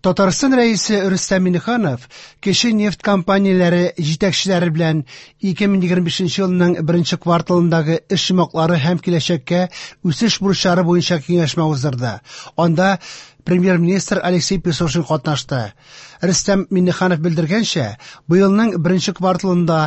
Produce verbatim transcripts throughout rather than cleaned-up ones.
Татарстан Рәисе Рөстәм Миңнеханов кече нефть компанияләре җитәкчеләре белән ике мең егерме бишенче елның беренче кварталындагы эш йомгаклары һәм киләчәккә үсеш бурычлары буенча киңәшмә уздырды. Анда премьер-министр Алексей Песошин катнашты. Рөстәм Миңнеханов белдергәнчә, быелның беренче кварталында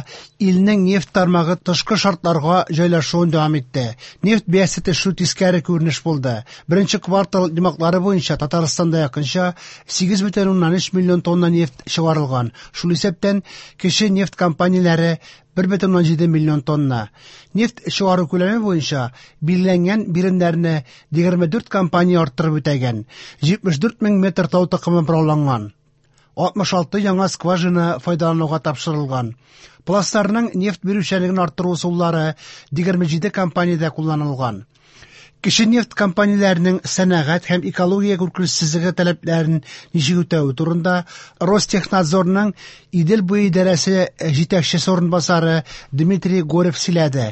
илнең нефть тармагы тышкы шартларга җайлашуын дәвам итте. Нефть бәясе төшү тискәре күренеш булды. Беренче квартал йомгаклары буенча Татарстанда якынча сигез бөтен уннан өч миллион тонна нефть чыгарылган. Шул исәптән кече нефть компанияләре бер бөтен уннан җиде миллион тонна. Нефть чыгару күләме буенча билгеләнгән биремнәрне егерме дүрт компания арттырып үтәгән. Җитмеш дүрт мең метр тау токымы борауланган. Алтмыш алты яңа скважина файдалануга тапшырылган. Пластларның нефть бирүчәнлеген арттыру ысуллары егерме җиде компаниядә кулланылган. Кече нефть компанияләренең сәнәгать һәм экология куркынычсызлыгы таләпләрен ничек үтәве турында Ростехнадзорның Идел буе идарәсе җитәкчесе урынбасары Дмитрий Горев сөйләде.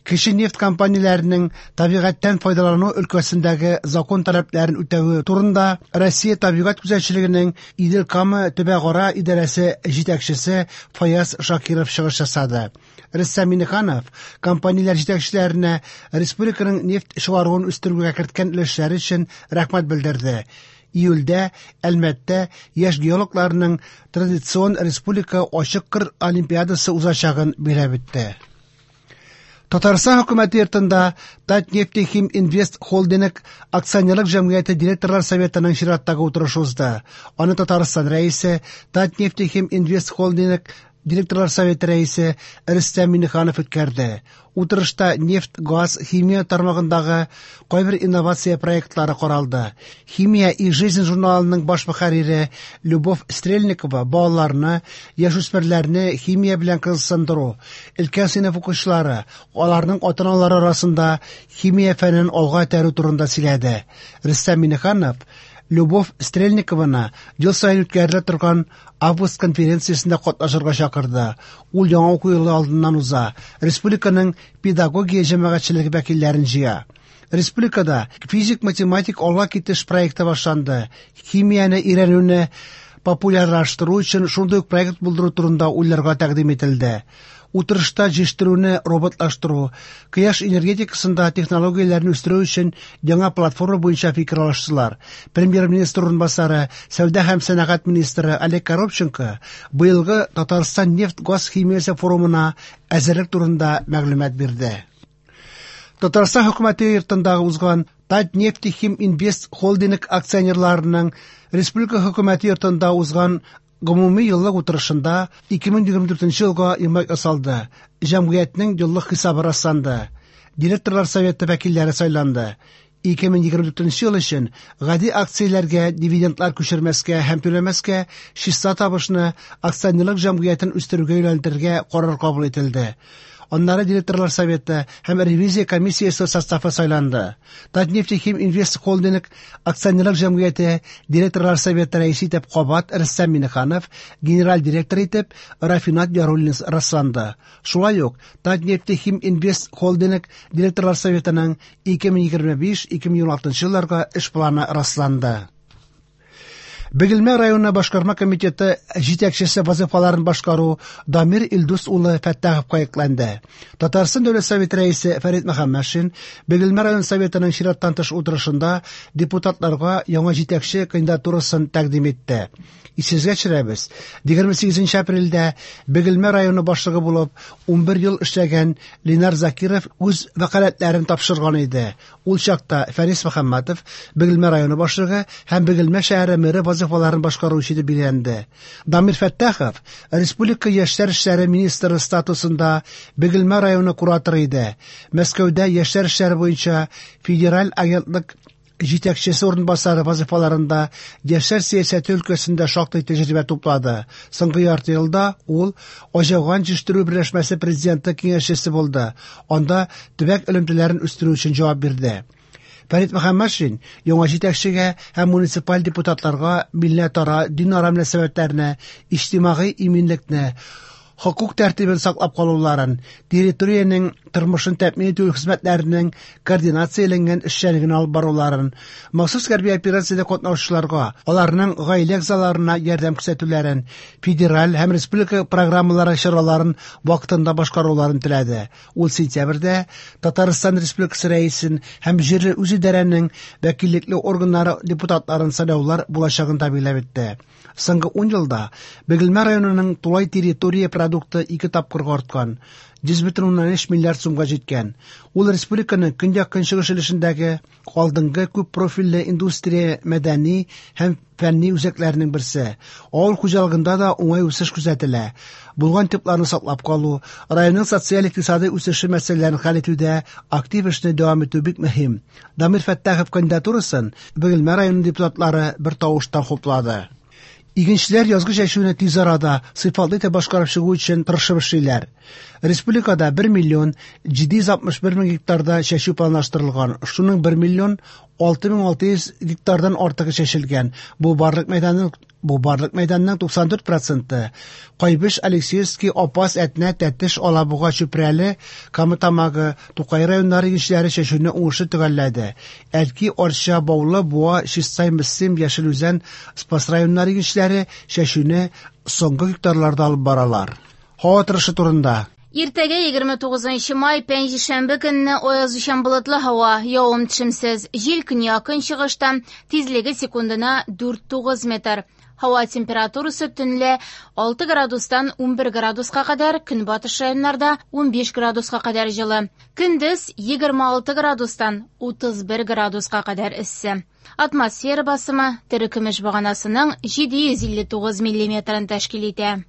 Кече нефть компанияләренең табигатьтән файдалану өлкәсендәге закон таләпләрен үтәве турында Россия табигать күзәтчелегенең Идел-Кама төбәкара идарәсе җитәкчесе Фаяз Шакиров чыгыш ясады. Рөстәм Миңнеханов компанияләр җитәкчеләренә республиканың нефть чыгаруын үстерүгә керткән өлешләре өчен рәхмәт белдерде. Июльдә Әлмәттә яшь геологларның традицион республика ачык кыр олимпиадасы узачагын билгеләп үтте. Татарстан хөкүмәте йортында Татнефтехим Инвест Холдинг акционерлык җәмгыяте директорлар советының чираттагы утырышы узды. Аны Татарстан рәисе Татнефтехим Инвест Холдинг директорлар советы рәисе Рөстәм Миңнеханов үткәрде. Утырышта нефть, газ, химия тармагындагы кайбер инновация проектлары каралды. Химия и жизнь журналының баш мөхәррире Любовь Стрельникова балаларны, яшүсмерләрне химия белән кызыксындыру, өлкән сыйныф укучылары, аларның ата-аналары арасында химия фәнен алга этәрү турында сөйләде. Рөстәм Миңнеханов Любовь Стрельникованы ел саен үткәрелә торган август конференциясендә катнашырга чакырды. Ул яңа уку елы алдыннан уза. Республиканың педагогия җәмәгатьчелеге вәкилләрен җыя. Республикада физик-математик алга китеш проекты башланды. Химияне өйрәнүне популярлаштыру өчен шундый ук проект булдыру турында уйларга тәкъдим ителде. Утырышта җитештерүне роботлаштыру, кояш энергетикасында технологияләрне үстерү өчен яңа платформа буенча фикер алыштылар. Премьер-министр урынбасары, сәүдә һәм сәнәгать министры Олег Коробченко быелгы Татарстан нефть-газ химиясе форумына әзерлек турында мәгълүмат бирде. Татарстан хөкүмәте йортында узган Татнефтехим Инвест Холдинг акционерларының республика хөкүмәте йортында узган гомуми еллык утырышында ике мең егерме дүртенче елга йомгак ясалды. Җәмгыятьнең еллык хисабы расланды. Директорлар советы вәкилләре сайланды. Ике мең егерме дүртенче ел өчен гади акцияләргә дивидендлар күчермәскә һәм түләмәскә, чиста табышны акционерлык җәмгыятен үстерүгә юнәлдерергә карар кабул ителде. Аннары директорлар советы һәм ревизия комиссиясе составы сайланды. Татнефтехим Инвест Холдинг акционерлык җәмгыяте директорлар советы рәисе итеп кабат Рөстәм Миңнеханов, генераль директор итеп Рафинат Яруллин расланды. Шулай ук Татнефтехим Инвест Холдинг директорлар советының ике мең егерме биш — ике мең егерме алтынчы елларга эш планы расланды. Бөгелмә районы башкарма комитеты җитәкчесе вазифаларын башкару Дамир Илдус улы Фәттаховка йөкләнде. Татарстан Дәүләт Советы рәисе Фәрит Мөхәммәтшин Бөгелмә район советының чираттан тыш утырышында депутатларга яңа җитәкче кандидатурасын тәкъдим итте. Исегезгә төшерәбез, егерме сигезенче апрельдә Бөгелмә районы башлыгы булып унбер ел эшләгән Ленар Закиров үз вәкаләтләрен тапшырган иде. Ул чакта Фәрис Мөхәммәтов Бөгелмә районы башлыгы һәм Бөгелмә шәһәре мэры вазифаларын башкаручы итеп билгеләнде. Дамир Фәттахов республика яшьләр эшләре министры статусында Бөгелмә районы кураторы иде. Мәскәүдә яшьләр эшләре буенча федераль агентлык җитәкчесе урынбасары вазифаларында яшьләр сәясәте өлкәсендә шактый тәҗрибә туплады. Соңгы ярты елда ул Аҗаган җитештерү берләшмәсе президенты киңәшчесе булды. Анда төбәк элемтәләрен үстерү өчен җавап бирде. Фәрит Мөхәммәтшин яңа җитәкчегә һәм муниципаль депутатларга милләтара, динара мөнәсәбәтләрне, иҗтимагый иминлекне, Хокук тәртибен саклап калуларын, территориянең тормышын тәэмин итү хезмәтләренең координацияләнгән эшчәнлеген алып баруларын, махсус хәрби операциядә катнашучыларга, аларның гаилә әгъзаларына ярдәм күрсәтүләрен, федераль һәм республика программалары чараларын вакытында башкаруларын теләде. Ул сентябрьдә Татарстан Республикасы Рәисен һәм җирле үзидарәнең вәкиллекле органнары депутатларын сайлаулар булачагын да билгеләп үтте. Соңгы ун елда Бөгелмә районының тулай территория продукты ике тапкырга арткан, йөз бөтен уннан өч миллиард сумга җиткән. Ул республиканың көньяк-көнчыгыш өлешендәге алдынгы күп профильле индустрия, мәдәни һәм фәнни үзәкләренең берсе. Авыл хуҗалыгында да уңай үсеш күзәтелә. Булган типларны саклап калу, районның социаль-икътисади үсеше мәсьәләләрен хәл итүдә актив эшне дәвам итү бик мөһим. Дамир Фәттахов кандидатурасын Бөгелмә районы депутатлары бер тавыштан хуплады. Игенчеләр язгы чәчүне тиз арада сыйфатлы итеп башкарып чыгу өчен тырышып эшлиләр. Республикада бер миллион җиде йөз алтмыш бер мең гектарда чәчү планлаштырылган. Шуның бер миллион алты мең алты йөз гектардан артыгы чәчелгән. Бу барлык мәйданның бу барлык мәйданның туксан дүрт проценты. Кайбыч, Алексеевский, Апас, Әтнә, Тәтеш, Алабуга, Чүпрәле, Кама Тамагы, Тукай районнары игенчеләре чәчүне уңышлы төгәлләде. Әлки, Арча, Баулы, Буа, Чистай, Мөслим, Яшел Үзән, Спас районнары игенчеләре чәчүне соңгы гектарларда алып баралар. Һава торышы турында. Иртәгә егерме тугызынчы май пәнҗешәмбе көнне аязучан болытлы һава, явым-төшемсез, җил көньяк-көнчыгыштан, тизлеге секундына дүрт тугыз метр. Һава температурасы төнлә алты градустан унбер градуска кадәр, көнбатыш районнарда унбиш градуска кадәр җылы. Көндез егерме алты градустан утыз бер градуска кадәр эссе. Атмосфера басымы терекөмеш баганасының җиде йөз илле тугыз миллиметрын тәшкил итә.